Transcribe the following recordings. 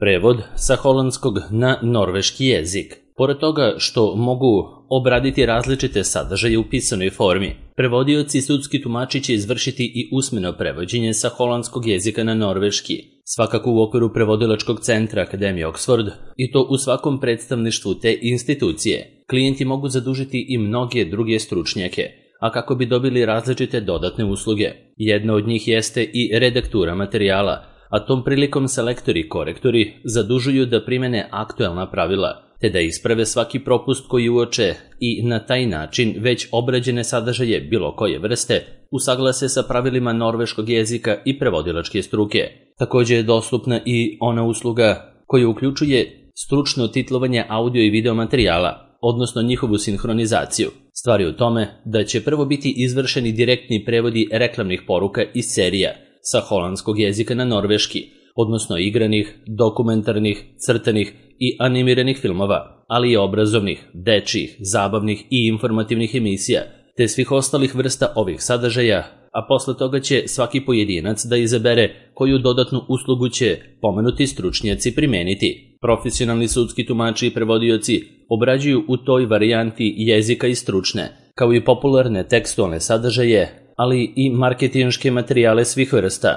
Prevod sa holandskog na norveški jezik. Pored toga što mogu obraditi različite sadržaje u pisanoj formi, prevodioci i sudski tumači će izvršiti i usmeno prevođenje sa holandskog jezika na norveški, svakako u okviru prevodilačkog centra Akademije Oxford, i to u svakom predstavništvu te institucije. Klijenti mogu zadužiti i mnoge druge stručnjake, a kako bi dobili različite dodatne usluge. Jedna od njih jeste i redaktura materijala, a tom prilikom selektori i korektori zadužuju da primene aktuelna pravila, te da isprave svaki propust koji uoče i na taj način već obrađene sadržaje bilo koje vrste usaglase sa pravilima norveškog jezika i prevodilačke struke. Također je dostupna i ona usluga koja uključuje stručno titlovanje audio i video materijala, odnosno njihovu sinhronizaciju. Stvar je u tome da će prvo biti izvršeni direktni prevodi reklamnih poruka iz serija sa holandskog jezika na norveški, odnosno igranih, dokumentarnih, crtanih i animiranih filmova, ali i obrazovnih, dečjih, zabavnih i informativnih emisija, te svih ostalih vrsta ovih sadržaja, a posle toga će svaki pojedinac da izabere koju dodatnu uslugu će pomenuti stručnjaci primeniti. Profesionalni sudski tumači i prevodioci obrađuju u toj varijanti jezika i stručne, kao i popularne tekstualne sadržaje, ali i marketinške materijale svih vrsta,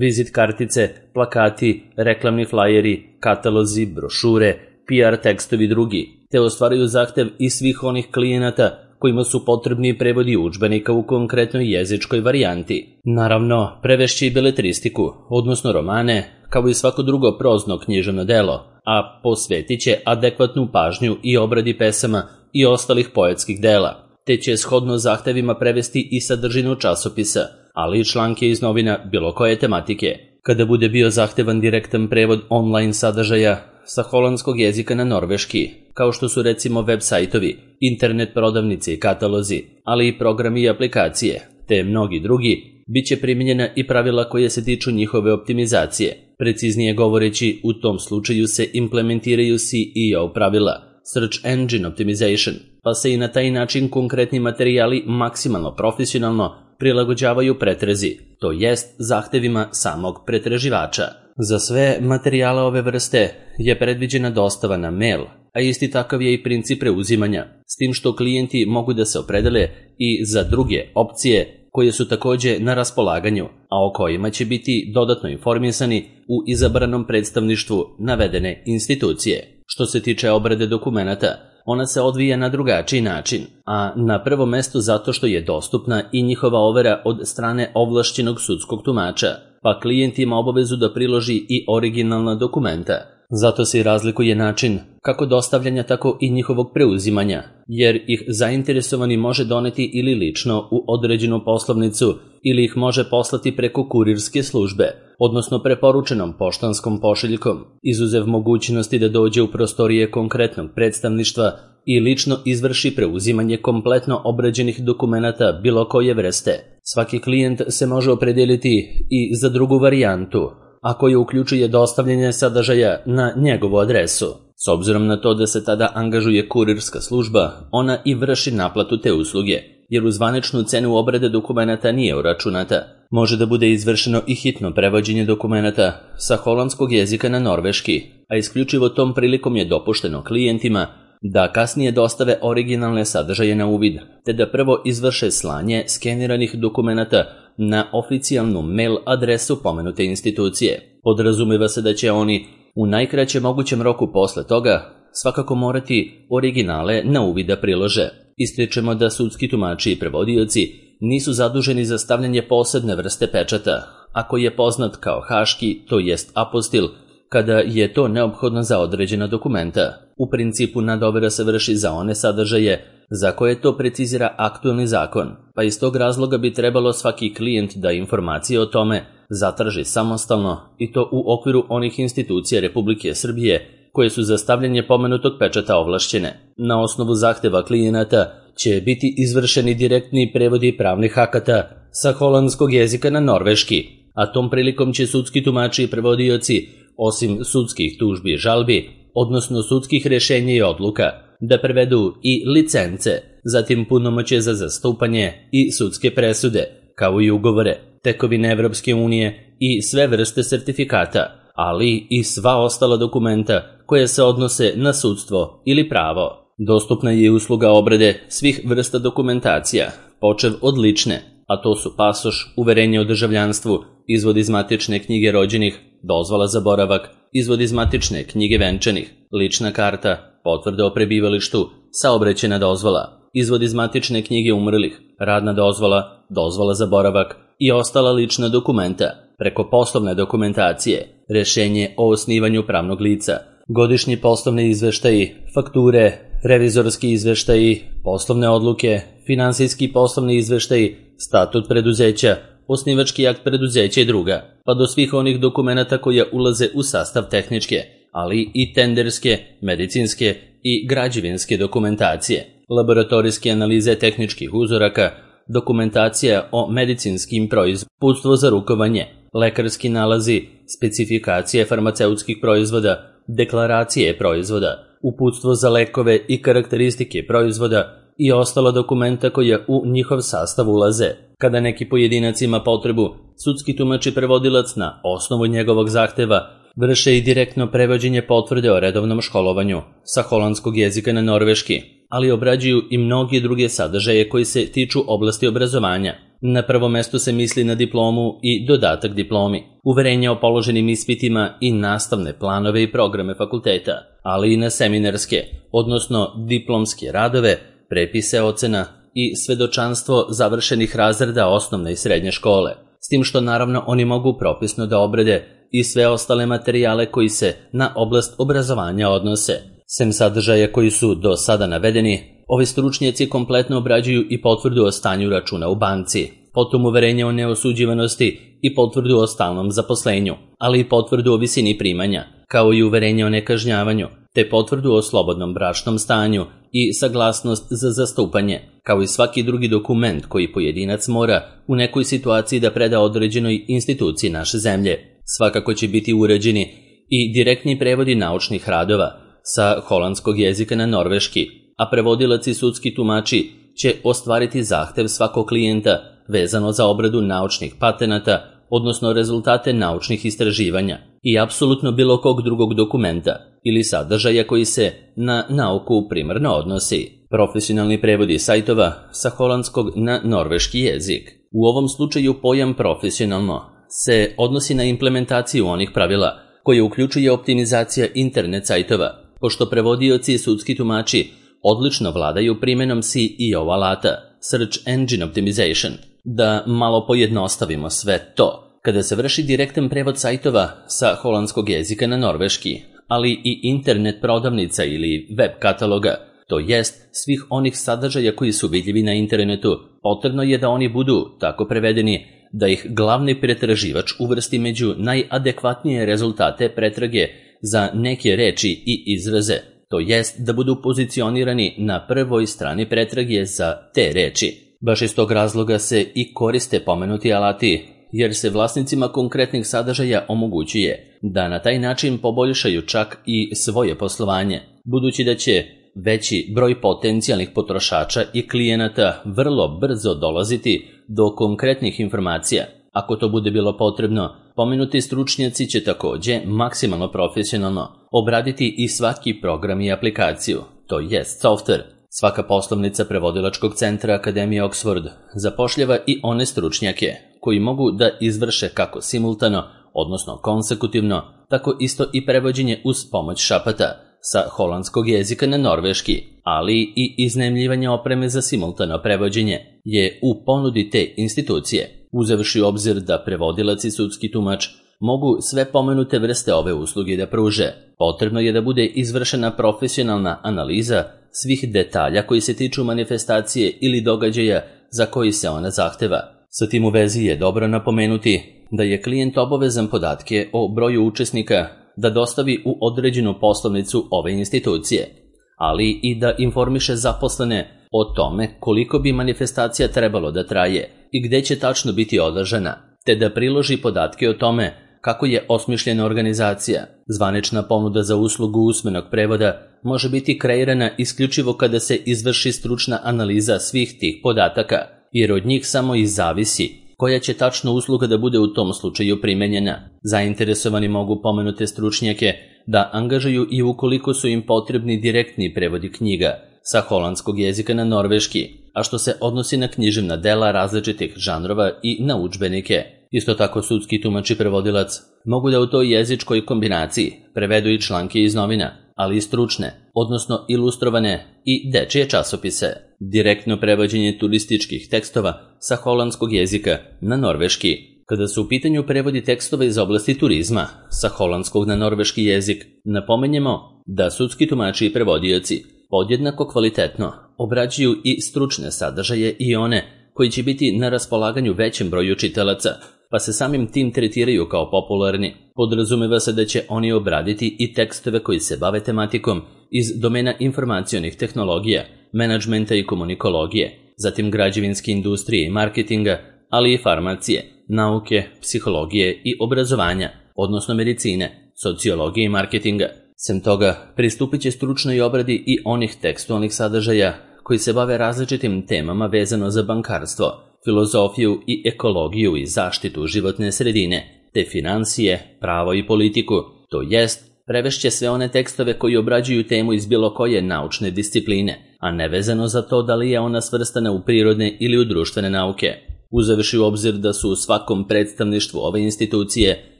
vizit kartice, plakati, reklamni flajeri, katalozi, brošure, PR tekstovi i drugi, te ostvaraju zahtev i svih onih klijenata kojima su potrebni prevodi udžbenika u konkretnoj jezičkoj varijanti. Naravno, prevešće i beletristiku, odnosno romane, kao i svako drugo prozno književno delo, a posvetit će adekvatnu pažnju i obradi pesama i ostalih poetskih dela, te će shodno zahtevima prevesti i sadržinu časopisa, ali i članke iz novina bilo koje tematike. Kada bude bio zahtevan direktan prevod online sadržaja sa holandskog jezika na norveški, kao što su recimo web sajtovi, internet prodavnice i katalozi, ali i programi i aplikacije, te mnogi drugi, bit će primijenjena i pravila koje se tiču njihove optimizacije. Preciznije govoreći, u tom slučaju se implementiraju SEO pravila, Search Engine Optimization, pa se i na taj način konkretni materijali maksimalno profesionalno prilagođavaju pretrezi, to jest zahtevima samog pretraživača. Za sve materijale ove vrste je predviđena dostava na mail, a isti takav je i princip preuzimanja, s tim što klijenti mogu da se opredele i za druge opcije koje su također na raspolaganju, a o kojima će biti dodatno informisani u izabranom predstavništvu navedene institucije. Što se tiče obrade dokumenata, ona se odvija na drugačiji način, a na prvo mesto zato što je dostupna i njihova overa od strane ovlašćenog sudskog tumača, pa klijent ima obavezu da priloži i originalna dokumenta. Zato se i razlikuje način kako dostavljanja, tako i njihovog preuzimanja, jer ih zainteresovani može doneti ili lično u određenu poslovnicu ili ih može poslati preko kurirske službe, odnosno preporučenom poštanskom pošiljkom, izuzev mogućnosti da dođe u prostorije konkretnog predstavništva i lično izvrši preuzimanje kompletno obrađenih dokumenata bilo koje vrste. Svaki klijent se može opredijeliti i za drugu varijantu, a koja uključuje dostavljanje sadržaja na njegovu adresu. S obzirom na to da se tada angažuje kurirska služba, ona i vrši naplatu te usluge, jer u zvaničnu cenu obrade dokumenata nije uračunata. Može da bude izvršeno i hitno prevođenje dokumenata sa holandskog jezika na norveški, a isključivo tom prilikom je dopušteno klijentima da kasnije dostave originalne sadržaje na uvid, te da prvo izvrše slanje skeniranih dokumenata na oficijalnu mail adresu pomenute institucije. Podrazumeva se da će oni u najkraćem mogućem roku posle toga svakako morati originale na uvid da prilože. Ističemo da sudski tumači i prevodioci nisu zaduženi za stavljanje posebne vrste pečata, ako je poznat kao haški, to jest apostil, kada je to neophodno za određena dokumenta. U principu nadovera se vrši za one sadržaje za koje to precizira aktualni zakon, pa iz tog razloga bi trebalo svaki klijent da informacije o tome zatraži samostalno, i to u okviru onih institucija Republike Srbije koje su za stavljanje pomenutog pečata ovlašćene. Na osnovu zahteva klijenata će biti izvršeni direktni prevodi pravnih akata sa holandskog jezika na norveški, a tom prilikom će sudski tumači i prevodioci, osim sudskih tužbi i žalbi, odnosno sudskih rješenja i odluka, da prevedu i licence, zatim punomoćje za zastupanje i sudske presude, kao i ugovore, tekovine Evropske unije i sve vrste sertifikata, ali i sva ostala dokumenta koja se odnose na sudstvo ili pravo. Dostupna je usluga obrade svih vrsta dokumentacija, počev od lične, a to su pasoš, uverenje o državljanstvu, izvod iz matične knjige rođenih, dozvola za boravak, izvod iz matične knjige venčanih, lična karta, potvrda o prebivalištu, saobraćajna dozvola, izvod iz matične knjige umrlih, radna dozvola, dozvola za boravak i ostala lična dokumenta, preko poslovne dokumentacije, rešenje o osnivanju pravnog lica, godišnji poslovni izveštaji, fakture, revizorski izveštaji, poslovne odluke, finansijski poslovni izveštaji, statut preduzeća, osnivački akt preduzeća i druga, pa do svih onih dokumenata koja ulaze u sastav tehničke, ali i tenderske, medicinske i građevinske dokumentacije, laboratorijske analize tehničkih uzoraka, dokumentacija o medicinskim proizvodima, uputstvo za rukovanje, lekarski nalazi, specifikacije farmaceutskih proizvoda, deklaracije proizvoda, uputstvo za lekove i karakteristike proizvoda i ostala dokumenta koja u njihov sastav ulaze. Kada neki pojedinac ima potrebu, sudski tumač i prevodilac na osnovu njegovog zahteva vrše i direktno prevođenje potvrde o redovnom školovanju sa holandskog jezika na norveški, ali obrađuju i mnogi druge sadržaje koji se tiču oblasti obrazovanja. Na prvo mesto se misli na diplomu i dodatak diplomi, uverenje o položenim ispitima i nastavne planove i programe fakulteta, ali i na seminarske, odnosno diplomske radove, prepise ocena i svedočanstvo završenih razreda osnovne i srednje škole, s tim što naravno oni mogu propisno da obrade i sve ostale materijale koji se na oblast obrazovanja odnose. Sem sadržaja koji su do sada navedeni, ovi stručnjaci kompletno obrađuju i potvrdu o stanju računa u banci, potom uverenje o neosuđivanosti i potvrdu o stalnom zaposlenju, ali i potvrdu o visini primanja, kao i uverenje o nekažnjavanju, te potvrdu o slobodnom bračnom stanju i saglasnost za zastupanje, kao i svaki drugi dokument koji pojedinac mora u nekoj situaciji da preda određenoj instituciji naše zemlje. Svakako će biti uređeni i direktni prevodi naučnih radova sa holandskog jezika na norveški, a prevodilac i sudski tumači će ostvariti zahtev svakog klijenta vezano za obradu naučnih patenata, odnosno rezultate naučnih istraživanja i apsolutno bilo kog drugog dokumenta ili sadržaja koji se na nauku primarno odnosi. Profesionalni prevodi sajtova sa holandskog na norveški jezik. U ovom slučaju pojam profesionalno se odnosi na implementaciju onih pravila koje uključuje optimizacija internet sajtova, pošto prevodioci i sudski tumači odlično vladaju primjenom SEO alata, Search Engine Optimization. Da malo pojednostavimo sve to, kada se vrši direktan prevod sajtova sa holandskog jezika na norveški, ali i internet prodavnica ili web kataloga, to jest svih onih sadržaja koji su vidljivi na internetu, potrebno je da oni budu tako prevedeni da ih glavni pretraživač uvrsti među najadekvatnije rezultate pretrage za neke reči i izraze, to jest da budu pozicionirani na prvoj strani pretrage za te reči. Baš iz tog razloga se i koriste pomenuti alati, jer se vlasnicima konkretnih sadržaja omogućuje da na taj način poboljšaju čak i svoje poslovanje, budući da će veći broj potencijalnih potrošača i klijenata vrlo brzo dolaziti do konkretnih informacija. Ako to bude bilo potrebno, pomenuti stručnjaci će također maksimalno profesionalno obraditi i svaki program i aplikaciju, to jest software. Svaka poslovnica prevodilačkog centra Akademije Oxford zapošljava i one stručnjake koji mogu da izvrše kako simultano, odnosno konsekutivno, tako isto i prevođenje uz pomoć šapata sa holandskog jezika na norveški, ali i iznajmljivanje opreme za simultano prevođenje je u ponudi te institucije, uzevši u obzir da prevodilac i sudski tumač mogu sve pomenute vrste ove usluge da pruže. Potrebno je da bude izvršena profesionalna analiza svih detalja koji se tiču manifestacije ili događaja za koji se ona zahteva. Sa tim u vezi je dobro napomenuti da je klijent obavezan podatke o broju učesnika da dostavi u određenu poslovnicu ove institucije, ali i da informiše zaposlene o tome koliko bi manifestacija trebalo da traje i gde će tačno biti održana, te da priloži podatke o tome kako je osmišljena organizacija. Zvanična ponuda za uslugu usmenog prevoda može biti kreirana isključivo kada se izvrši stručna analiza svih tih podataka, jer od njih samo i zavisi koja će tačno usluga da bude u tom slučaju primenjena. Zainteresovani mogu pomenute stručnjake da angažuju i ukoliko su im potrebni direktni prevodi knjiga sa holandskog jezika na norveški, a što se odnosi na književna dela različitih žanrova i na udžbenike. Isto tako sudski tumač i prevodilac mogu da u toj jezičkoj kombinaciji prevedu i članke iz novina, ali i stručne, odnosno ilustrovane i dečije časopise. Direktno prevođenje turističkih tekstova sa holandskog jezika na norveški. Kada su u pitanju prevodi tekstova iz oblasti turizma sa holandskog na norveški jezik, napomenjemo da sudski tumači i prevodioci podjednako kvalitetno obrađuju i stručne sadržaje i one koji će biti na raspolaganju većem broju čitalaca, pa se samim tim tretiraju kao popularni. Podrazumeva se da će oni obraditi i tekstove koji se bave tematikom iz domena informacionih tehnologija, menadžmenta i komunikologije, zatim građevinske industrije i marketinga, ali i farmacije, nauke, psihologije i obrazovanja, odnosno medicine, sociologije i marketinga. Sem toga, pristupit će stručnoj obradi i onih tekstualnih sadržaja koji se bave različitim temama vezano za bankarstvo, filozofiju i ekologiju i zaštitu životne sredine, te finansije, pravo i politiku, to jest prevešće sve one tekstove koji obrađuju temu iz bilo koje naučne discipline, a ne vezano za to da li je ona svrstana u prirodne ili u društvene nauke. Uzevši u obzir da su u svakom predstavništvu ove institucije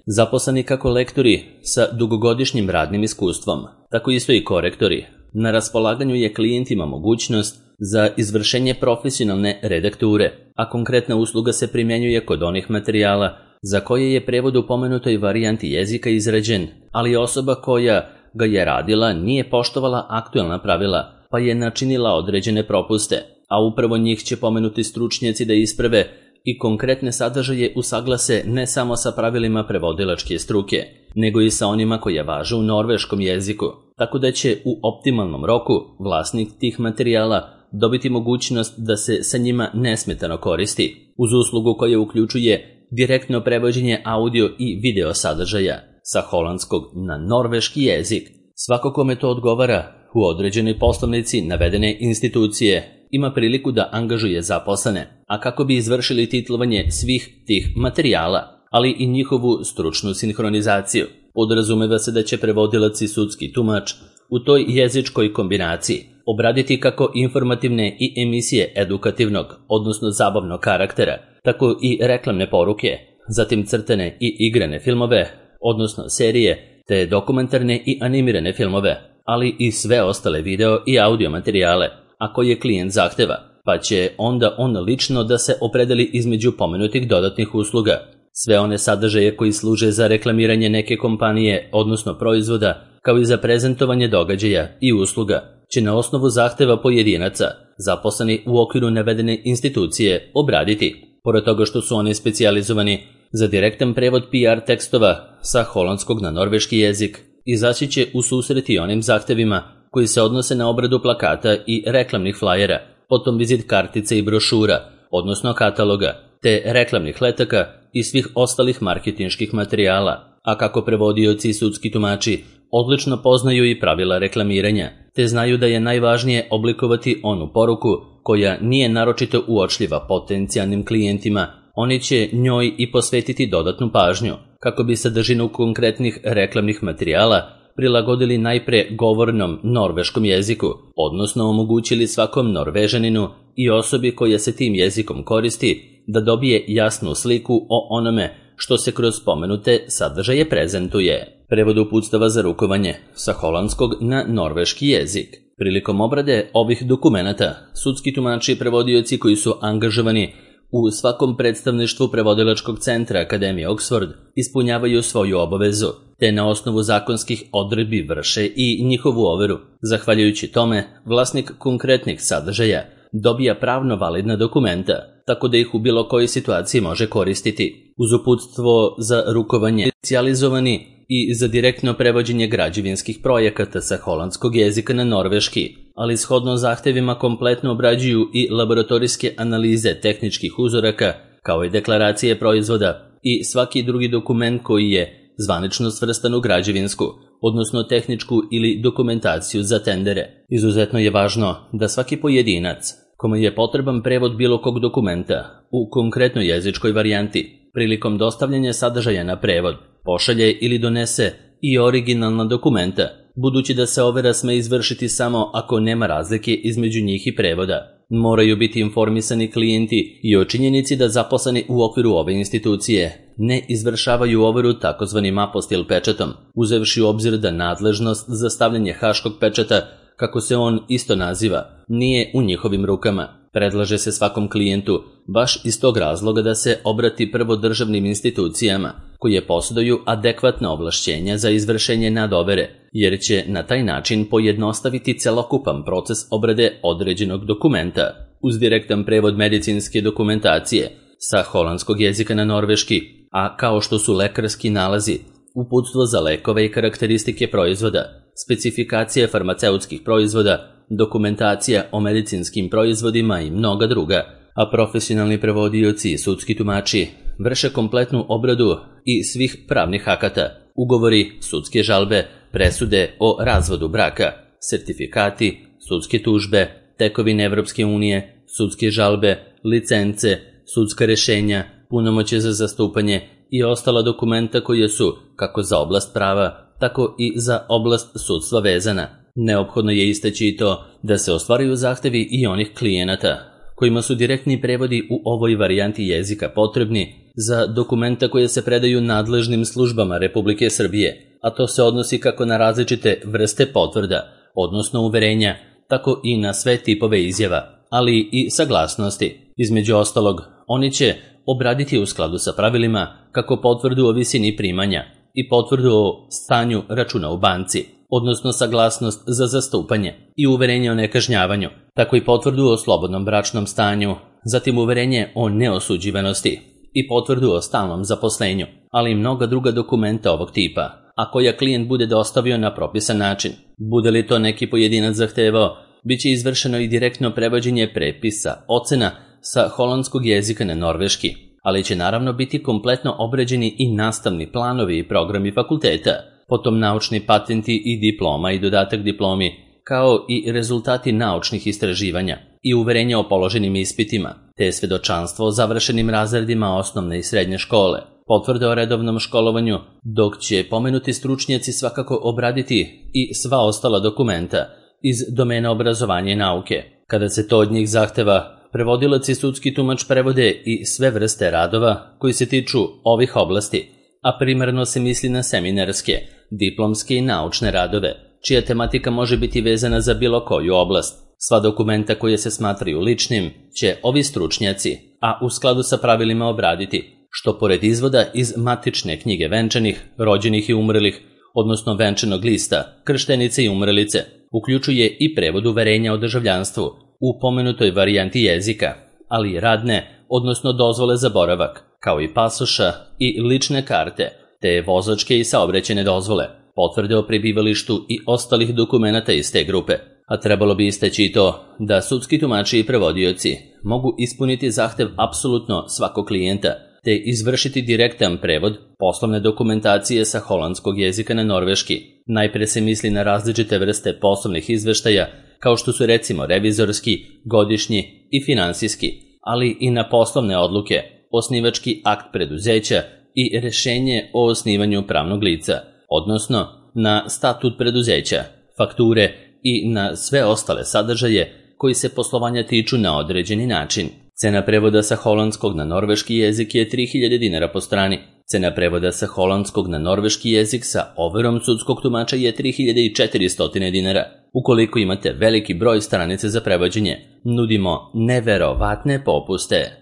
zaposleni kako lektori sa dugogodišnjim radnim iskustvom, tako isto i korektori. Na raspolaganju je klijentima mogućnost za izvršenje profesionalne redakture, a konkretna usluga se primjenjuje kod onih materijala za koje je prevod u pomenutoj varijanti jezika izrađen, ali osoba koja ga je radila nije poštovala aktuelna pravila, pa je načinila određene propuste, a upravo njih će pomenuti stručnjaci da isprave i konkretne sadržaje usaglase ne samo sa pravilima prevodilačke struke, nego i sa onima koje važe u norveškom jeziku, tako da će u optimalnom roku vlasnik tih materijala dobiti mogućnost da se sa njima nesmetano koristi, uz uslugu koja uključuje direktno prevođenje audio i video sadržaja sa holandskog na norveški jezik. Svako kome to odgovara u određenoj poslovnici navedene institucije ima priliku da angažuje zaposlene, a kako bi izvršili titlovanje svih tih materijala, ali i njihovu stručnu sinhronizaciju. Podrazumeva se da će prevodilac i sudski tumač u toj jezičkoj kombinaciji obraditi kako informativne i emisije edukativnog, odnosno zabavnog karaktera, tako i reklamne poruke, zatim crtane i igrane filmove, odnosno serije, te dokumentarne i animirane filmove, ali i sve ostale video i audio materijale, a koje klijent zahteva, pa će onda on lično da se opredeli između pomenutih dodatnih usluga. Sve one sadržaje koji služe za reklamiranje neke kompanije, odnosno proizvoda, kao i za prezentovanje događaja i usluga, će na osnovu zahteva pojedinaca, zaposleni u okviru navedene institucije, obraditi. Pored toga što su oni specijalizovani za direktan prevod PR tekstova sa holandskog na norveški jezik, izaći će u susret i onim zahtevima koji se odnose na obradu plakata i reklamnih flajera, potom vizit kartice i brošura, odnosno kataloga, te reklamnih letaka i svih ostalih marketinških materijala, a kako prevodioci i sudski tumači odlično poznaju i pravila reklamiranja, te znaju da je najvažnije oblikovati onu poruku koja nije naročito uočljiva potencijalnim klijentima, oni će njoj i posvetiti dodatnu pažnju, kako bi sadržinu konkretnih reklamnih materijala prilagodili najpre govornom norveškom jeziku, odnosno omogućili svakom Norvežaninu i osobi koja se tim jezikom koristi da dobije jasnu sliku o onome što se kroz spomenute sadržaje prezentuje. Prevod uputstava za rukovanje sa holandskog na norveški jezik. Prilikom obrade ovih dokumenata, sudski tumači i prevodioci koji su angažovani u svakom predstavništvu prevodilačkog centra Akademije Oxford ispunjavaju svoju obavezu, te na osnovu zakonskih odredbi vrše i njihovu overu. Zahvaljujući tome, vlasnik konkretnih sadržaja dobija pravno validna dokumenta, tako da ih u bilo kojoj situaciji može koristiti. Uz uputstvo za rukovanje specijalizovani i za direktno prevođenje građevinskih projekata sa holandskog jezika na norveški, ali shodno zahtevima kompletno obrađuju i laboratorijske analize tehničkih uzoraka, kao i deklaracije proizvoda i svaki drugi dokument koji je zvanično svrstan u građevinsku, odnosno tehničku ili dokumentaciju za tendere. Izuzetno je važno da svaki pojedinac kome je potreban prevod bilo kog dokumenta u konkretnoj jezičkoj varijanti, prilikom dostavljanja sadržaja na prevod, pošalje ili donese i originalna dokumenta, budući da se overa sme izvršiti samo ako nema razlike između njih i prevoda. Moraju biti informisani klijenti i o činjenici da zaposleni u okviru ove institucije ne izvršavaju overu takozvanim apostil pečatom, uzevši u obzir da nadležnost za stavljanje haškog pečata, kako se on isto naziva, nije u njihovim rukama. Predlaže se svakom klijentu baš iz tog razloga da se obrati prvo državnim institucijama koje posjeduju adekvatna ovlašćenja za izvršenje nadovere, jer će na taj način pojednostaviti celokupan proces obrade određenog dokumenta uz direktan prevod medicinske dokumentacije sa holandskog jezika na norveški, a kao što su lekarski nalazi, uputstvo za lekove i karakteristike proizvoda, specifikacije farmaceutskih proizvoda, dokumentacija o medicinskim proizvodima i mnoga druga, a profesionalni prevodioci i sudski tumači vrše kompletnu obradu i svih pravnih akata, ugovori, sudske žalbe, presude o razvodu braka, sertifikati, sudske tužbe, tekovine Evropske unije, sudske žalbe, licence, sudska rešenja, punomoćje za zastupanje i ostala dokumenta koje su, kako za oblast prava, tako i za oblast sudstva vezana. Neophodno je istaći i to da se ostvaruju zahtevi i onih klijenata kojima su direktni prevodi u ovoj varijanti jezika potrebni za dokumenta koje se predaju nadležnim službama Republike Srbije, a to se odnosi kako na različite vrste potvrda, odnosno uverenja, tako i na sve tipove izjava, ali i saglasnosti. Između ostalog, oni će obraditi u skladu sa pravilima kako potvrdu o visini primanja i potvrdu o stanju računa u banci, odnosno saglasnost za zastupanje i uverenje o nekažnjavanju, tako i potvrdu o slobodnom bračnom stanju, zatim uverenje o neosuđivanosti i potvrdu o stalnom zaposlenju, ali i mnoga druga dokumenta ovog tipa, a koja klijent bude dostavio na propisan način. Bude li to neki pojedinac zahtevao, bit će izvršeno i direktno prevođenje prepisa, ocena sa holandskog jezika na norveški, ali će naravno biti kompletno obrađeni i nastavni planovi i programi fakulteta, potom naučni patenti i diploma i dodatak diplomi, kao i rezultati naučnih istraživanja i uverenja o položenim ispitima, te svedočanstvo o završenim razredima osnovne i srednje škole, potvrde o redovnom školovanju, dok će pomenuti stručnjaci svakako obraditi i sva ostala dokumenta iz domena obrazovanja i nauke. Kada se to od njih zahteva, prevodilac i sudski tumač prevode i sve vrste radova koji se tiču ovih oblasti, a primarno se misli na seminarske, diplomske i naučne radove, čija tematika može biti vezana za bilo koju oblast. Sva dokumenta koje se smatraju ličnim će ovi stručnjaci, a u skladu sa pravilima obraditi, što pored izvoda iz matične knjige venčanih, rođenih i umrlih, odnosno venčanog lista, krštenice i umrlice, uključuje i prevod uverenja o državljanstvu u pomenutoj varijanti jezika, ali i radne, odnosno dozvole za boravak, kao i pasoša i lične karte, te vozačke i saobraćajne dozvole, potvrde o prebivalištu i ostalih dokumenata iz te grupe. A trebalo bi istaći i to da sudski tumači i prevodioci mogu ispuniti zahtev apsolutno svakog klijenta, te izvršiti direktan prevod poslovne dokumentacije sa holandskog jezika na norveški. Najpre se misli na različite vrste poslovnih izveštaja, kao što su recimo revizorski, godišnji i finansijski, ali i na poslovne odluke, osnivački akt preduzeća i rešenje o osnivanju pravnog lica, odnosno na statut preduzeća, fakture i na sve ostale sadržaje koji se poslovanja tiču na određeni način. Cena prevoda sa holandskog na norveški jezik je 3000 dinara po strani. Cena prevoda sa holandskog na norveški jezik sa overom sudskog tumača je 3400 dinara. Ukoliko imate veliki broj stranice za prevođenje, nudimo neverovatne popuste.